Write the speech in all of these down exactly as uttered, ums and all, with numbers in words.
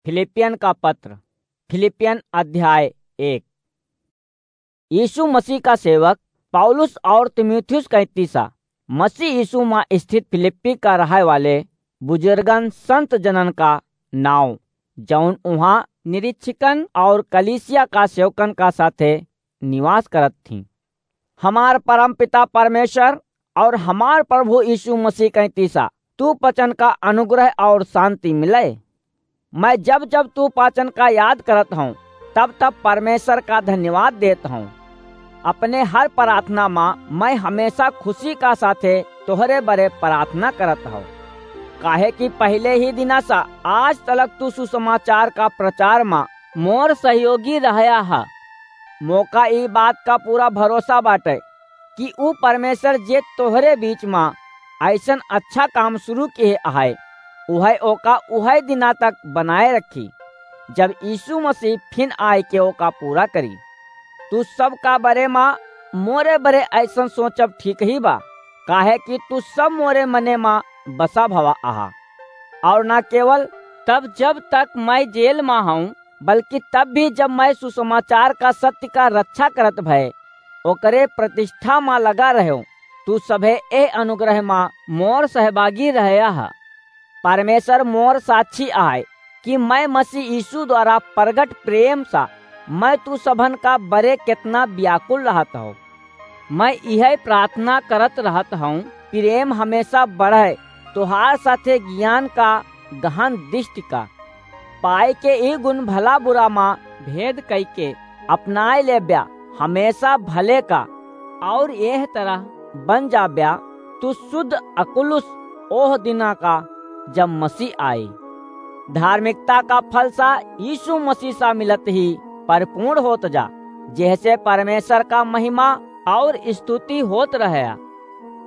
फिलिपियन का पत्र, फिलिपियन अध्याय एक। यीशु मसीह का सेवक पौलुस और तीमुथियुस कैंतीसा, मसीह यीशु मा स्थित फिलिप्पी का रहे वाले बुजुर्गन संत जनन का नाव, जौन उहाँ निरीक्षकन और कलीसिया का सेवकन का साथे निवास करत थीं। हमार परम पिता परमेश्वर और हमार प्रभु यीशु मसीह कैंतीसा तू पचन का अनुग्रह और शांति मिले। मैं जब जब तू पाचन का याद करत हूँ, तब तब परमेश्वर का धन्यवाद देत हूँ। अपने हर प्रार्थना मा मैं हमेशा खुशी का साथे तोहरे बरे प्रार्थना करत हूँ, काहे कि पहले ही दिना सा आज तलक तू सुसमाचार का प्रचार मा मोर सहयोगी रहया हा। मोका ई बात का पूरा भरोसा बाटे कि ऊ परमेश्वर जे तोहरे बीच मा ऐसन अच्छा काम शुरू किहे आहे, उहै ओका उहै दिना तक बनाए रखी, जब यीशु मसीह फिन आए के ओका पूरा करी। तू सब का बरे मा मोरे बरे ऐसन सोचब ठीक ही बा, काहे कि तू सब मोरे मने मा बसा भवा आहा। और ना केवल तब जब तक मैं जेल मा हूँ, बल्कि तब भी जब मैं सुसमाचार का सत्य का रक्षा करत भय ओकरे प्रतिष्ठा मा लगा रह्यो, तू सभे एह अनुग्रह मा मोर सहभागी रहया हा। परमेश्वर मोर साक्षी आय कि मैं मसीह यीशु द्वारा प्रगट प्रेम सा मैं तू सभन का बरे कितना व्याकुल रहत हूँ। मैं यह प्रार्थना करत रहत हूँ, प्रेम हमेशा बढ़े, तोहार साथे ज्ञान का गहन दृष्टि का, पाए के ई गुण भला बुरा मा भेद कई के अपनाए लेब्या, हमेशा भले का, और एह तरह बन जाब्या, तू शुद्ध अकुलुस ओह दिना का, जब मसीह आई। धार्मिकता का फल सा यीशु मसीह सा मिलत ही परिपूर्ण होत जा, जेहसे परमेश्वर का महिमा और स्तुति होत रहे।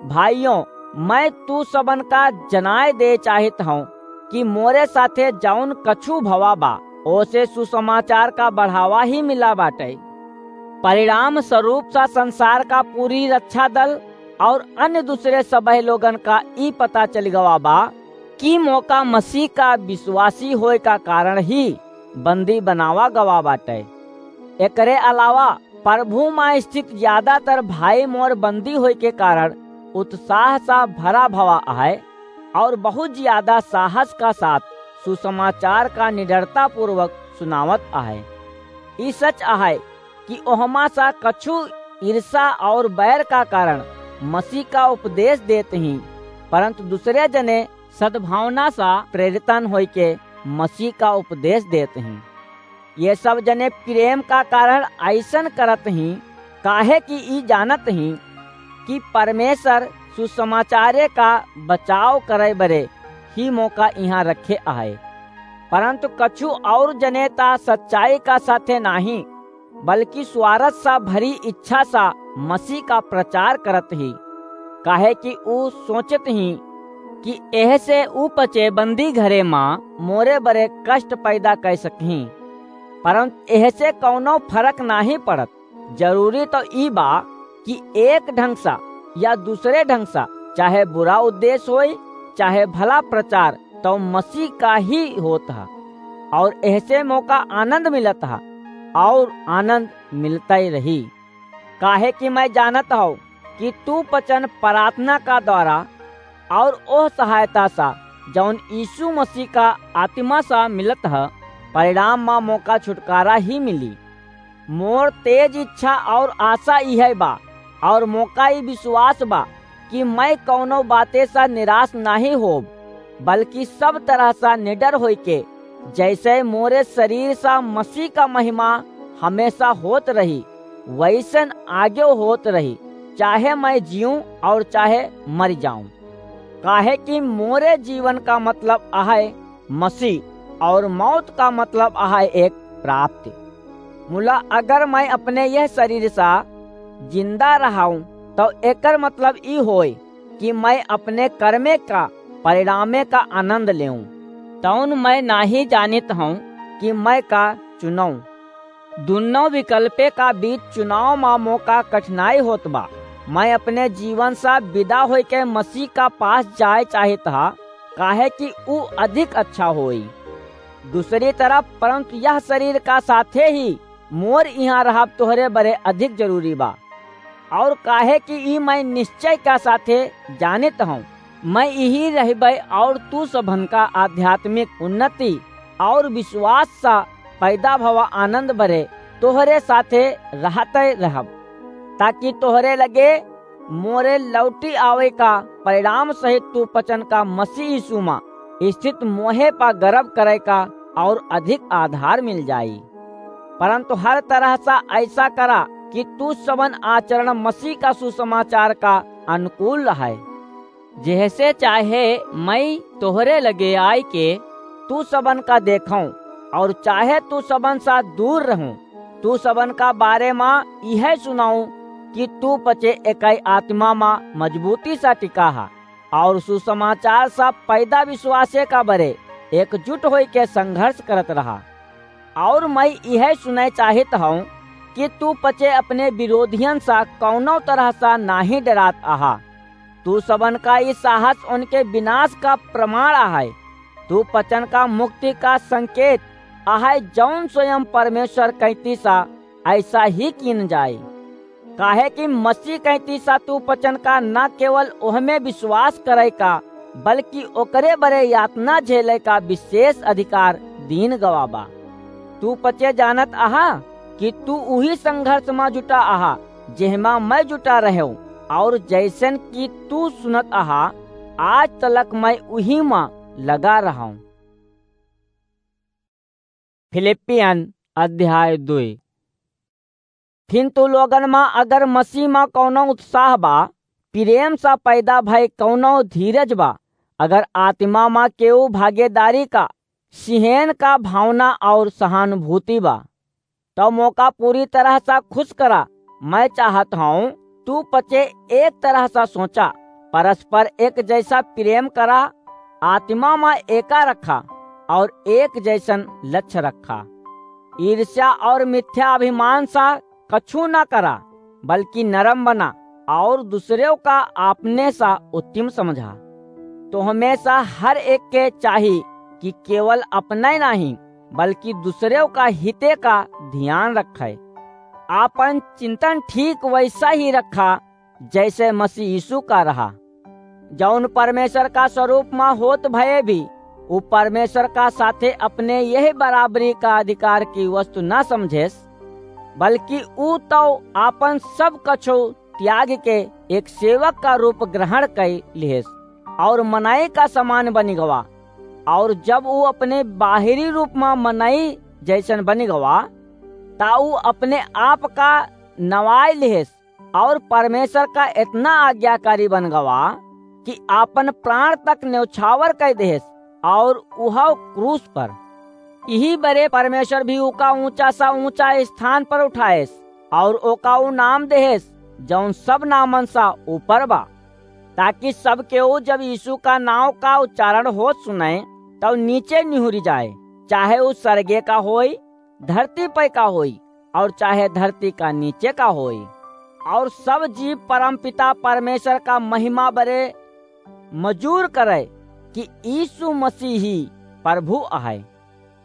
भाइयों, मैं तू सबन का जनाए दे चाहित हूँ कि मोरे साथे जौन कछु भवा बा, ओसे सुसमाचार का बढ़ावा ही मिला बाटे। परिणाम स्वरूप सा संसार का पूरी रक्षा दल और अन्य दूसरे सबह लोगन का ई पता चल गवा बा कि मोका मसीह का विश्वासी होए का कारण ही बंदी बनावा गवा बाटे। एकरे अलावा प्रभु मा स्थित ज्यादातर भाई मोर बंदी होए के कारण उत्साह सा भरा भवा आहे और बहुत ज्यादा साहस का साथ सुसमाचार का निडरता पूर्वक सुनावत आहे। ई सच आहे कि ओहमा सा कछु ईर्षा और बैर का कारण मसीह का उपदेश देत ही, परंतु दूसरे जने सद्भावना सा प्रेरितन होइके मसीह का उपदेश देत ही। ये सब जने प्रेम का कारण ऐसन करत ही, काहे कि ई जानत ही कि परमेश्वर सुसमाचारे का बचाव करे बरे ही मोका इहाँ रखे आहे। परंतु कछु और जने ता सच्चाई का साथे नाही, बल्कि स्वार्थ सा भरी इच्छा सा मसीह का प्रचार करत ही, काहे कि ऊ सोचत ही कि एह से ऊ पचे बंदी घरे मा मोरे बरे कष्ट पैदा कर सकही। परंतु एह से कौनो फर्क नाही पड़त। जरूरी तो ई बा कि एक ढंग सा या दूसरे ढंग सा, चाहे बुरा उद्देश्य होई, चाहे भला प्रचार, तो मसीह का ही होत ह। और एहसे मोका आनंद मिलत ह और आनंद मिलता ही रही, काहे कि मैं जानत हूँ कि तू पचन प्रार्थना का द्वारा और ओह सहायता सा, जौन यीशु मसीह का आत्मा सा मिलत ह, परिणाम मा मोका छुटकारा ही मिली। मोर तेज इच्छा और आशा इहे बा, और मोका ई विश्वास बा कि मैं कौनो बाते सा निराश नाही होब, बल्कि सब तरह सा निडर होइके, जैसे मोरे शरीर सा मसीह का महिमा हमेशा होत रही, वैसन आगे होत रही, चाहे मैं जीऊं और चाहे मर जाऊं। काहे कि मोरे जीवन का मतलब आहे मसीह, और मौत का मतलब आहे एक प्राप्ति। मुला अगर मैं अपने यह शरीर सा जिंदा रहाऊं, तो एकर मतलब ई होय कि मैं अपने कर्मे का परिणामे का आनंद लेऊं। तौन मैं नाही जानित हूँ कि मैं का चुनऊं। दुन्नो विकल्पे का बीच चुनाव मा मोका कठिनाई होत बा। मैं अपने जीवन सा विदा होइके मसीह का पास जाए चाहित हा, काहे कि ऊ अधिक अच्छा होई। दूसरी तरफ, परंतु यह शरीर का साथे ही मोर इहाँ रहब तोहरे बरे अधिक जरूरी बा। और काहे कि ई मैं निश्चय का साथे जानित हूँ, मैं इही रहबै और तू सबन का आध्यात्मिक उन्नति और विश्वास सा पैदा भवा आनंद बरे तोहरे साथे रहते रहब, ताकि तोहरे लगे मोरे लौटी आवे का परिणाम सहित तू पचन का मसीह यीशु मा स्थित मोहे पा गर्व करे का और अधिक आधार मिल जाई। परंतु हर तरह सा ऐसा करा कि तू सबन आचरण मसीह का सुसमाचार का अनुकूल रहे। जेहसे चाहे मैं तोहरे लगे आय के तू सबन का देखूं और चाहे तू सबन सा दूर रहूं, तू सबन का बारे मा इहे सुनाऊं कि तू पचे एकाई आत्मा मा मजबूती सा टिका हा और सुसमाचार सा पैदा विश्वासे का बरे एकजुट होई के संघर्ष करत रहा। और मैं इहे सुने चाहित हूँ कि तू पचे अपने विरोधियन सा कौनो तरह सा नाही डरात आहा। तू सबन का ई साहस उनके विनाश का प्रमाण आहे। तू पचन का मुक्ति का संकेत आहे, जौन स्वयं परमेश्वर कैती सा ऐसा ही कीन जाए। काहे कि मसीह कैती सा तू पचन का न केवल ओहमे विश्वास करे का, बल्कि ओकरे बरे यातना झेले का विशेष अधिकार दीन गवा बा। तू पचे जानत आहा कि तू उही संघर्ष मा जुटा आहा, जेहमा मैं जुटा रहेव, और जैसन कि तू सुनत आहा, आज तलक मैं उही मा लगा रहूं। फिलिपियन अध्याय दुई। फिर तू लोगन मा अगर मसीह मा कौनो उत्साह बा, प्रेम सा पैदा भय कौनो धीरज बा, अगर आत्मा मा केहू भागीदारी का सिहेन का भावना और सहानुभूति बा, तब मोका पूरी तरह सा खुश करा। मैं चाहत हूँ तू पचे एक तरह सा सोचा, परस्पर एक जैसा प्रेम करा, आत्मा मा एका रखा और एक जैसन लक्ष्य रखा। ईर्ष्या और मिथ्या अभिमान सा कछू ना करा, बल्कि नरम बना और दूसरेव का आपने सा उत्तम समझा। तो हमेशा हर एक के चाही कि केवल अपने नहीं, बल्कि दूसरेव का हिते का ध्यान रखे। आपन चिंतन ठीक वैसा ही रखा, जैसे मसीह यीशु का रहा, जौन परमेश्वर का स्वरूप मा होत भये भी उ परमेश्वर का साथे अपने यही बराबरी का अधिकार की वस्तु ना समझेस, बल्कि ऊ तो आपन सब कछो त्याग के एक सेवक का रूप ग्रहण कई लिहेस और मनई का समान बनी गवा। और जब ऊ अपने बाहरी रूप मा मनई जैसन बनी गवा, ता ऊ अपने आप का नवाई लिहेस और परमेश्वर का इतना आज्ञाकारी बन गवा कि आपन प्राण तक न्यौछावर कर देहेस और उहाव क्रूस पर। यही बरे परमेश्वर भी उका ऊंचा सा ऊंचा स्थान पर उठाएस और ओका ऊ नाम देहेस जौन सब नामन सा ऊपर बा, ताकि सब केहू जब यीशु का नाव का उच्चारण होत सुने, तब नीचे निहुरी जाए, चाहे ऊ स्वर्गे का होई, धरती पे का होई, और चाहे धरती का नीचे का होई। और सब जीव परमपिता परमेश्वर का महिमा बरे मजूर करे कि यीशु मसीह ही प्रभु आहे।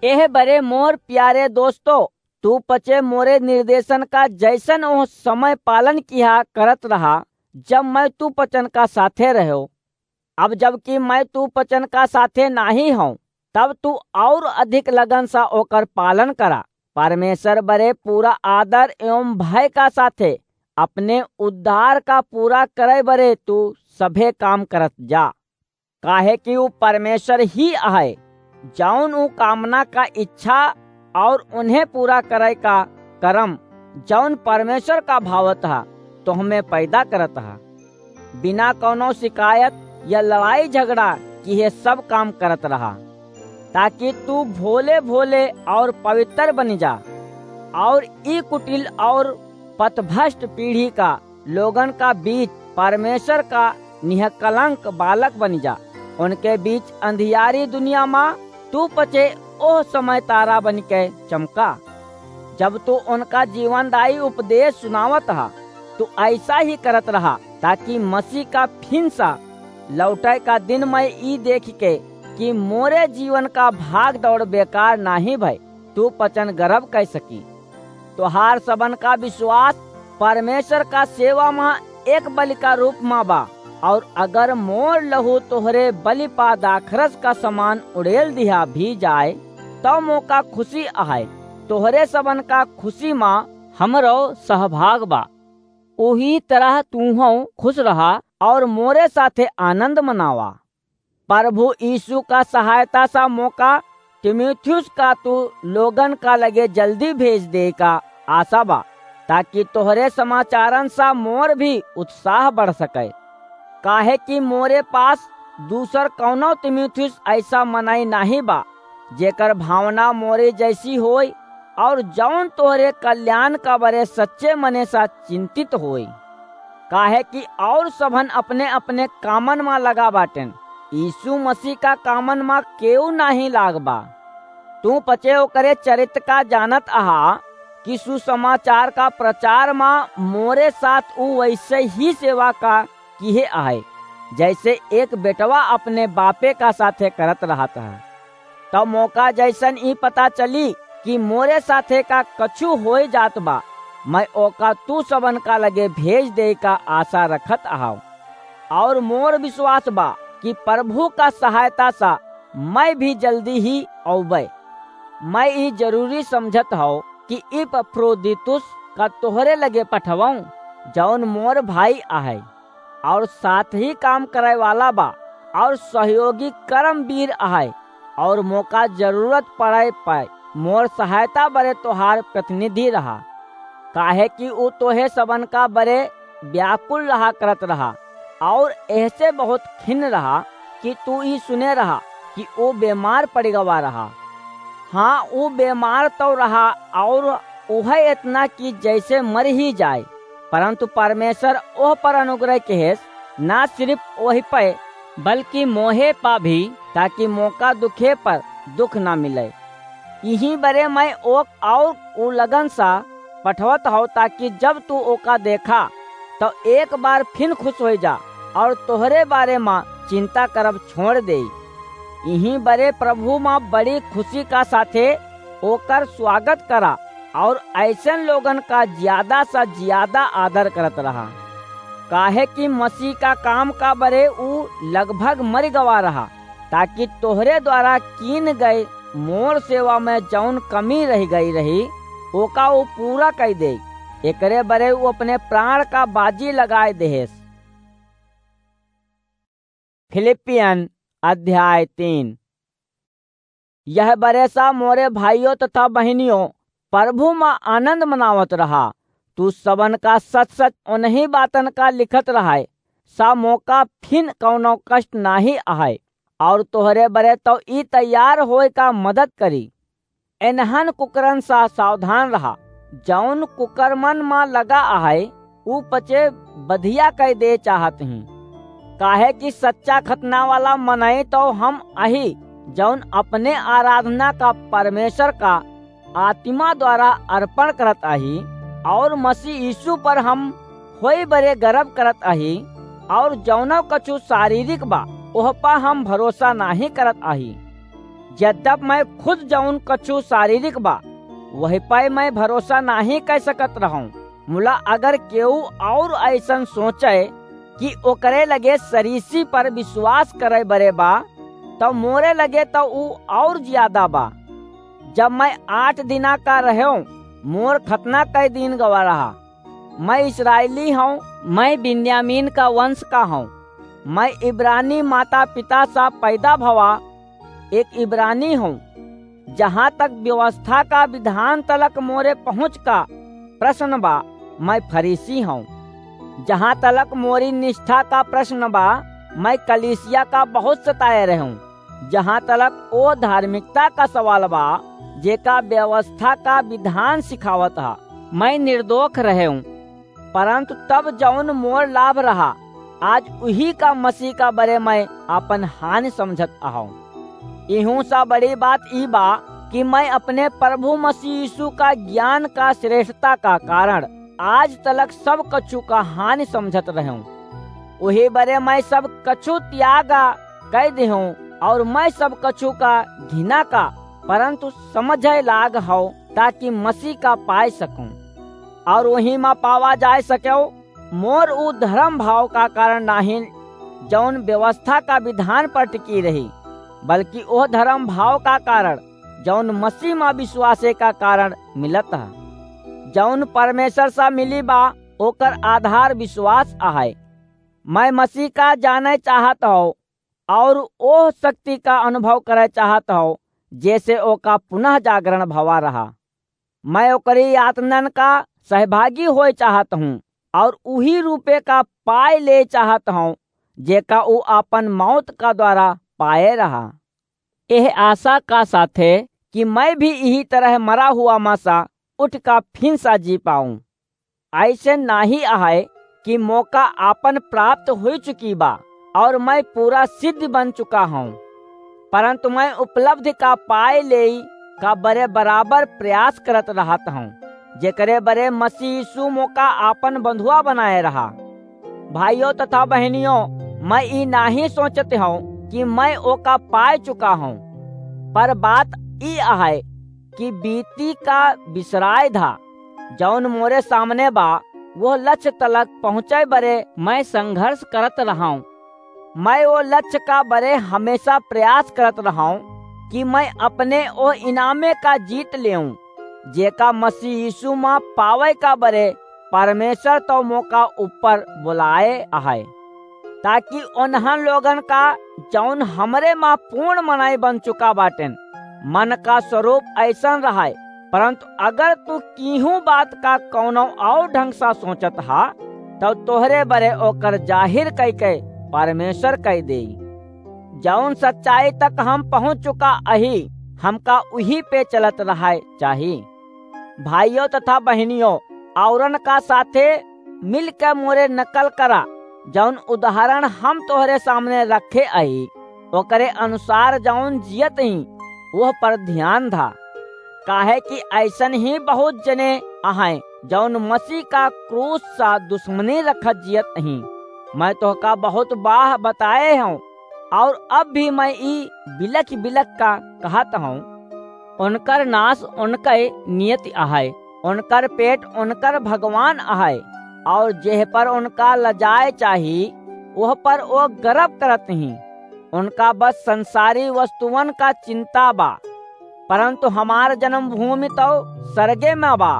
एह बरे मोर प्यारे दोस्तों, तू पचे मोरे निर्देशन का जैसन ओह समय पालन किहा करत रहा, जब मैं तू पचन का साथे रहो। अब जबकि मैं तू पचन का साथे नाही हूँ, तब तू और अधिक लगन सा ओकर पालन करा। परमेश्वर बरे पूरा आदर एवं भय का साथे अपने उद्धार का पूरा करे बरे तू सभे काम करत जा, काहे कि ऊ परमेश्वर ही आहे, जौन ऊ कामना का इच्छा और उन्हें पूरा करे का करम, जौन परमेश्वर का भावत हा, तो हमें पैदा करत हा। बिना कौनो शिकायत या लड़ाई झगड़ा किहे सब काम करत रहा, ताकि तू भोले भोले और पवित्र बनी जा, और ई कुटिल और पथभ्रष्ट पीढ़ी का लोगन का बीच परमेश्वर का निष्कलंक बालक बनी जा। उनके बीच अंधियारी दुनिया मा तू पचे ओह समय तारा बन के चमका, जब तू उनका जीवनदायी उपदेश सुनावत हा। तू ऐसा ही करत रहा, ताकि मसीह का फिन सा लौटे का दिन मैं ई देख के कि मोरे जीवन का भाग दौड़ बेकार नाहीं भय, तू पचन गरब कइ सकी। तोहार सबन का विश्वास परमेश्वर का सेवा मा एक बलि का रूप मा बा, और अगर मोर लहू तोहरे बलि पा दाखरस का समान उड़ेल दिहा भी जाए, तौ मोका खुशी अहै, तोहरे सबन का खुशी मा हमरो सहभाग बा। ओही तरह तूहौं खुश रहा और मोरे साथे आनंद मनावा। प्रभु यीशु का सहायता सा मोका तीमुथियुस का तू लोगन का लगे जल्दी भेज देइ का आशा बा, ताकि तोहरे समाचारन सा मोर भी उत्साह बढ़ सके। काहे कि मोरे पास दूसर कौनो तीमुथियुस ऐसा मनई नाहीं बा, जेकर भावना मोरे जैसी होय और जौन तोहरे कल्याण का बरे सच्चे मने सा चिंतित होय। काहे कि और सबन अपने-अपने कामन मा लगा बाटेन, यीशु मसीह का कामन मा केहू नाहीं लाग बा। तू पचे ओकरे चरित्र का जानत अहा कि सुसमाचार का प्रचार मा मोरे साथ ऊ वैसे ही सेवा का किहे अहै, जैसे एक बेटवा अपने बापे का साथे करत रहत है। तब मोका जैसन ई पता चली कि मोरे साथे का कछु होए जात बा, मैं ओका तू सबन का लगे भेज देइ का आशा रखत अहाव। और मोर विश्वास बा कि प्रभु का सहायता सा मैं भी जल्दी ही औबै। मैं ई जरूरी समझत हौ कि इपफ्रोदीतुस का तोहरे लगे पठवौं, जौन मोर भाई अहै और साथ ही काम करै वाला बा और सहयोगी कर्मवीर अहै, और मोका जरूरत पड़ै पै मोर सहायता बरे तोहार प्रतिनिधि रहा। काहे कि ऊ तोहे सबन का बरे व्याकुल रहा करत रहा, और एहसे बहुत खिन्न रहा कि तू ई सुने रहा कि ऊ बेमार पड़ गवा रहा। हाँ, ऊ बेमार तौ रहा, और उहै एतना कि जैसे मर ही जाए, परंतु परमेश्वर ओह पर अनुग्रह किहेस, ना सिर्फ ओही पै, बल्कि मोहे पा भी, ताकि मोका दुखे पर दुख ना मिले। इही बरे मैं ओक और उ लगन सा पठवत हौ, ताकि जब तू ओका देखा, तो एक बार फिन खुश होइ जा और तोहरे बारे मा चिंता करब छोड़ देई। इही बरे प्रभु मा बड़ी खुशी का साथे ओकर स्वागत करा और ऐसन लोगन का ज्यादा सा ज्यादा आदर करत रहा, काहे कि मसीह का काम का बरे ऊ लगभग मर गवा रहा, ताकि तोहरे द्वारा कीन गए मोर सेवा में जौन कमी रह गई रही, ओका ऊ पूरा कइ दे। एकरे बरे ऊ अपने प्राण का बाजी लगाए देहेस। फिलिपियन अध्याय तीन। यह बरे सा मोरे भाइयों तथा बहिनियों, प्रभु मा आनंद मनावत रहा। तू सबन का सच-सच उन्हीं बातन का लिखत रहाय, सा मोका फिन कौनो कष्ट नाहीं अहाय, और तोहरे बरे तो ई तैयार होए का मदद करी। एनहन कुकरन सा सावधान रहा, जौन कुकरमन मा लगा अहाय, ऊ पचे बधिया कइ दे चाहत ही। काहे कि सच्चा खतना वाला मनई तो हम अही, जौन अपने आराधना का परमेश्वर का आत्मा द्वारा अर्पण करत अही, और मसीह यीशु पर हम होई बरे गर्व करत अही, और जौनो कछु शारीरिक बा, ओह पा हम भरोसा नाहीं करत अही। यद्यप मैं खुद जौन कछु शारीरिक बा, वही पै मैं भरोसा नाहीं कइ सकत रहूं। मुला अगर केहू और ऐसन सोचे कि ओकरे लगे सरीसी पर विश्वास करे बरे बा, तो मोरे लगे तो ऊ और ज्यादा बा। जब मैं आठ दिना का रहेऊं, मोर खतना कई दिन गवा रहा। मैं इस्राएली हूँ, मैं बिन्यामीन का वंश का हूँ, मैं इब्रानी माता पिता सा पैदा भवा एक इब्रानी हूँ। जहाँ तक व्यवस्था का विधान तलक मोरे पहुँच का प्रश्न बा, मैं फरीसी हूँ। जहाँ तलक मोरी निष्ठा का प्रश्न बा, मैं कलीसिया का बहुत सताए रहूँ। जहाँ तलक ओ धार्मिकता का सवाल बा, जेका व्यवस्था का विधान सिखावत हा, मैं निर्दोष रहेऊं। परंतु तब जौन मोर लाभ रहा, आज उही का मसीह का बरे मैं आपन हानि समझत अहूं। इहू सा बड़ी बात ई बा कि मैं अपने प्रभु मसीह यीशु का ज्ञान का श्रेष्ठता का कारण आज तलक सब कछु का हानि समझत रहूं। उही बरे मैं सब कछु त्यागा कइ देहूं और मैं सब कछु का घिना का, परंतु समझे लाग हौ, ताकि मसीह का पाए सकूं, और वही मा पावा जाए सकेउ। मोर उ धर्म भाव का कारण नाहीं, जौन व्यवस्था का विधान पर टिकी रही, बल्कि ओह धर्म भाव का कारण, जौन मसीह मा विश्वासे का कारण मिलत है, जौन परमेश्वर सा मिली बा, ओकर आधार विश्वास आहे। मैं मसीह का जाने चाहत हौ और ओह शक्ति का अनुभव करे चाहत हौ, जैसे ओका पुनः जागरण भवा रहा। मैं ओकरी यातनन का सहभागी होए चाहत हूँ और उही रूपे का पाए ले चाहत हूँ, जेका ऊ आपन मौत का द्वारा पाए रहा। एह आशा का साथे कि मैं भी इही तरह मरा हुआ मा सा उठ का फिन सा जी पाऊं। ऐसे नाही आहे कि मौका आपन प्राप्त हो चुकी बा और मैं पूरा सिद्ध बन चुका हूँ, परंतु मैं उपलब्धि का पाए लेई का बरे बराबर प्रयास करत रहत हूँ, जेकरे बरे मसीह यीशु मौका आपन बंधुआ बनाए रहा। भाइयों तथा बहनियों, मैं ई नाही सोचत हूँ कि मैं ओका पाए चुका हूँ, पर बात ई आहे कि बीती का बिसराए धा, जौन मोरे सामने बा, वो लक्ष्य तलक पहुँचे बरे मैं संघर्ष करत रहाऊं। मैं वो लक्ष्य का बरे हमेशा प्रयास करत रहाऊं कि मैं अपने ओ इनामे का जीत लेऊं, जेका मसीह यीशु मा पावे का बरे परमेश्वर तो मोका ऊपर बुलाए आहे, ताकि उन्हन लोगन का, जौन हमरे मा पूर्ण मनाई बन चुका बाटेन, मन का स्वरूप ऐसन रहाए। परंतु अगर तू कीहू बात का कौनो और ढंग सा सोचत हा, तब तोहरे बरे ओकर जाहिर कई के परमेश्वर कई देई। जौन सच्चाई तक हम पहुँच चुका अही, हमका उही पे चलत रहाए चाही। भाइयों तथा बहनियों, औरन का साथे मिल के मोरे नकल करा, जौन उदाहरण हम तोहरे सामने रखे अही, ओकरे अनुसार जौन जियत ही, वह पर ध्यान धा। काहे कि ऐसन ही बहुत जने अहैं, जौन मसीह का क्रूस सा दुश्मनी रखत जियत ही। मैं तोहका बहुत बाह बताए हूँ, और अब भी मैं ई बिलख बिलख का कहत हूँ। उनकर नाश उनके नियति अहै, उनकर पेट उनकर भगवान अहै, और जेह पर उनका लजाए चाही, वह पर वो गर्व करत ही। उनका बस संसारी वस्तुअन का चिंता बा, परंतु हमार जन्मभूमि तो सरगे में बा।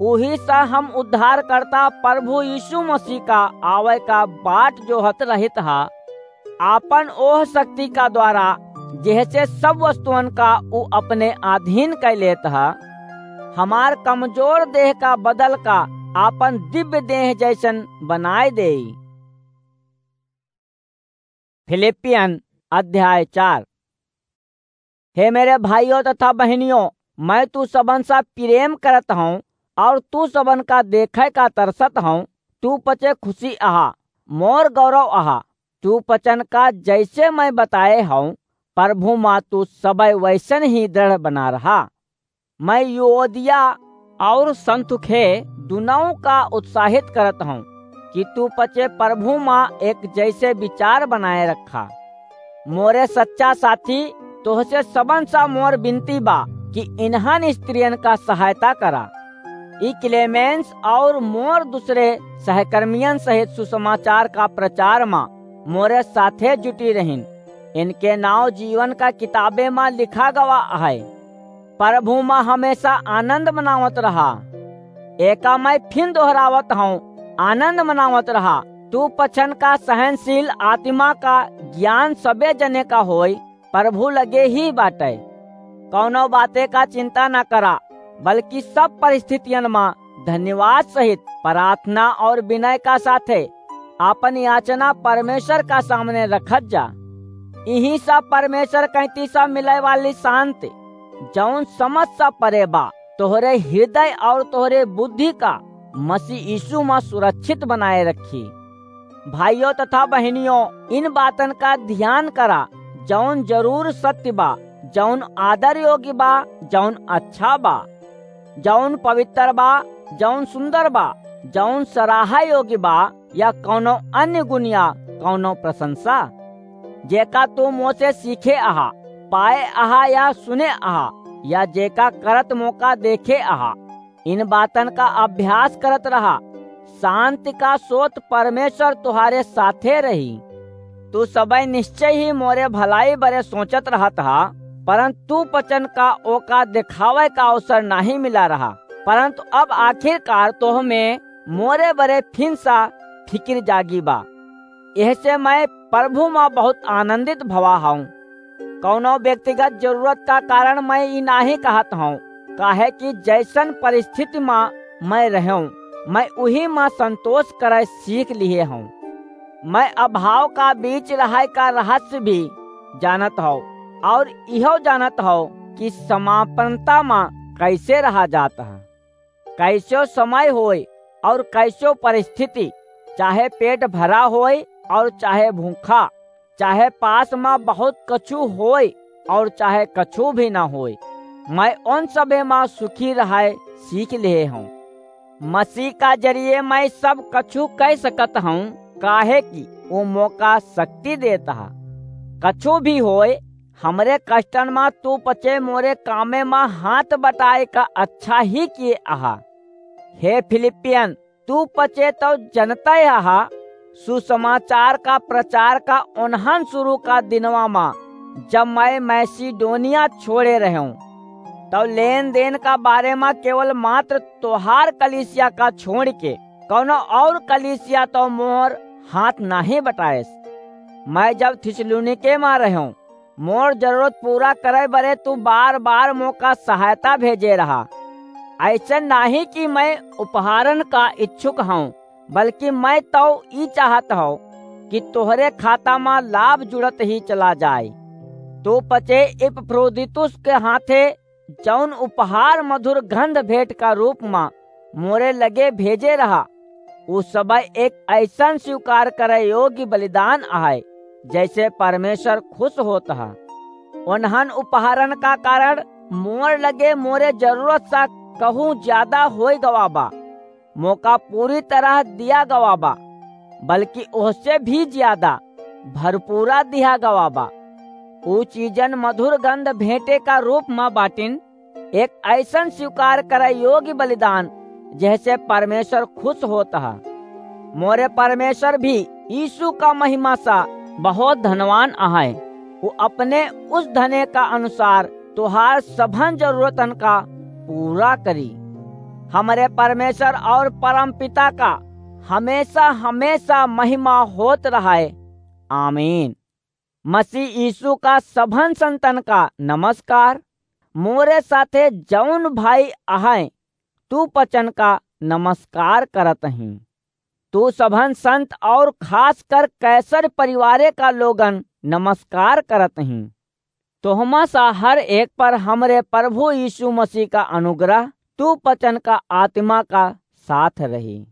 उही से हम उद्धारकर्ता प्रभु यीशु मसीह का आवे का बाट जोहत रहित हा। आपन ओह शक्ति का द्वारा, जेहसे सब वस्तुअन का ऊ अपने अधीन कै लेत ह, हमार कमजोर देह का बदल का आपन दिव्य देह जैसन बनाए देई। फिलिपियन अध्याय चार। हे मेरे भाइयों तथा बहनियों, मैं तू सबन सा प्रेम करत हूँ और तू सबन का देखे का तरसत हूँ। तू पचे खुशी अहा, मोर गौरव अहा। तू पचन का जैसे मैं बताए हूँ, प्रभु मा तू सबय वैसन ही दृढ़ बना रहा। मैं युओदिया और संतुखे दुनऊ का उत्साहित करत हूँ कि तू पचे प्रभु मा एक जैसे विचार बनाए रखा। मोरे सच्चा साथी, तोहसे सबन सा मोर विनती बा कि इन्हन स्त्रियन का सहायता करा। ई क्लेमेंस और मोर दूसरे सहकर्मियन सहित सुसमाचार का प्रचार मा मोरे साथे जुटी रहिन। इनके नाव जीवन का किताबे मा लिखा गवा है। प्रभु मा हमेशा आनंद मनावत रहा। एका मैं फिन दोहरावत हूँ, आनंद मनावत रहा। तू पछन का सहनशील आत्मा का ज्ञान सबे जने का होई, प्रभु लगे ही बाटे। कौनो बाते का चिंता ना करा, बल्कि सब परिस्थितियन मा धन्यवाद सहित प्रार्थना और विनय का साथे आपन याचना परमेश्वर का सामने रखत जा। इही सब परमेश्वर कैंती सब मिले वाली शांति, जौन समझ सा परे बा, तोहरे हृदय और तोहरे बुद्धि का मसीह यीशु मा सुरक्षित बनाए रखी। भाइयों तथा बहनियों, इन बातन का ध्यान करा, जौन जरूर सत्य बा, जौन आदर योग्य बा, जौन अच्छा बा, जौन पवित्र बा, जौन सुंदर बा, जौन सराहा योग्य बा, या कौनो अन्य गुण या कौनो प्रशंसा। जेका तू मोसे सीखे अहा, पाए अहा या सुने अहा, या जेका करत मोका देखे अहा, इन बातन का अभ्यास करत रहा। शांति का सोत परमेश्वर तुहारे साथे रही। तू सबई निश्चय ही मोरे भलाई बरे सोचत रहत हा, परंतु वचन का ओका दिखावे का अवसर नाही मिला रहा, परंतु अब आखिरकार तोह में मोरे बरे फिन सा फिकिर जागी बा। एहसे मैं प्रभु मा बहुत आनंदित भवा हूँ। कौनो व्यक्तिगत जरूरत का कारण मैं ई नाही कहत हूँ, काहे कि जैसन परिस्थिति मा मैं रहूँ, मैं उही मा संतोष करे सीख लिहे हूँ। मैं अभाव का बीच रहाय का रहस्य भी जानत हूँ और इहो जानत हूँ कि समापन्नता मा कैसे रहा जात है। कैसो समय होय और कैसो परिस्थिति, चाहे पेट भरा होय और चाहे भूखा, चाहे पास मा बहुत कछु होय और चाहे कछु भी ना होय, मैं उन सभे मा सुखी रहाय सीख लिहे हूँ। मसीह का जरिए मैं सब कछु कह सकत हूँ, काहे कि वो मोका शक्ति देत हा। कछु भी होय, हमरे कष्टन मा तू पचे मोरे कामे मा हाथ बटाए का अच्छा ही किए अहा। हे फिलिपियन, तू पचे तो जनता अहा, सुसमाचार का प्रचार का ओन्हन शुरू का दिनवा मा, जब मैं मैसिडोनिया छोड़े रहूं, तो लेन देन का बारे मा केवल मात्र तोहार कलीसिया का छोड़ के कौनो और कलीसिया तो मोर हाथ नाही बटाएस। मैं जब थिस्सलुनीके मा रहूं, मोर जरूरत पूरा करे बरे तू बार बार मोका सहायता भेजे रहा। ऐसे नाही कि मैं उपहारन का इच्छुक हूँ, बल्कि मैं तो ई चाहत हूँ कि तोहरे खाता मा लाभ जुड़त ही चला जाए। तू पचे इपफ्रोदीतुस के हाथे जौन उपहार मधुर गंध भेंट का रूप मा मोरे लगे भेजे रहा, उ सबय एक ऐसन स्वीकार करे योग्य बलिदान अहय, जैसे परमेश्वर खुश होत ह। ओन्हन उपहारन का कारण मोर लगे मोरे जरूरत सा कहूँ ज्यादा होय गवा बा। मोका पूरी तरह दिया गवा बा, बल्कि ओहसे भी ज्यादा भरपूरा दिया गवा बा। ऊ चीजन मधुर गंध भेंटे का रूप म बाटिन, एक ऐसन स्वीकार करे योग्य बलिदान, जेहसे परमेश्वर खुश होत ह। मोरे परमेश्वर भी यीशु का महिमा सा बहुत धनवान अहय। ऊ अपने उस धने का अनुसार तोहार सभन जरूरतन का पूरा करी। हमरे परमेश्वर और परमपिता का हमेशा, हमेशा महिमा होत रहय। आमीन। मसीह यीशु का सभन संतन का नमस्कार। मोरे साथे जौन भाई अहय, तू पचन का नमस्कार करत ही। तू सभन संत और खास कर कैसर परिवारे का लोगन नमस्कार करत ही। तोहमा सा हर एक पर हमरे प्रभु यीशु मसीह का अनुग्रह, तू पचन का आत्मा का साथ रही।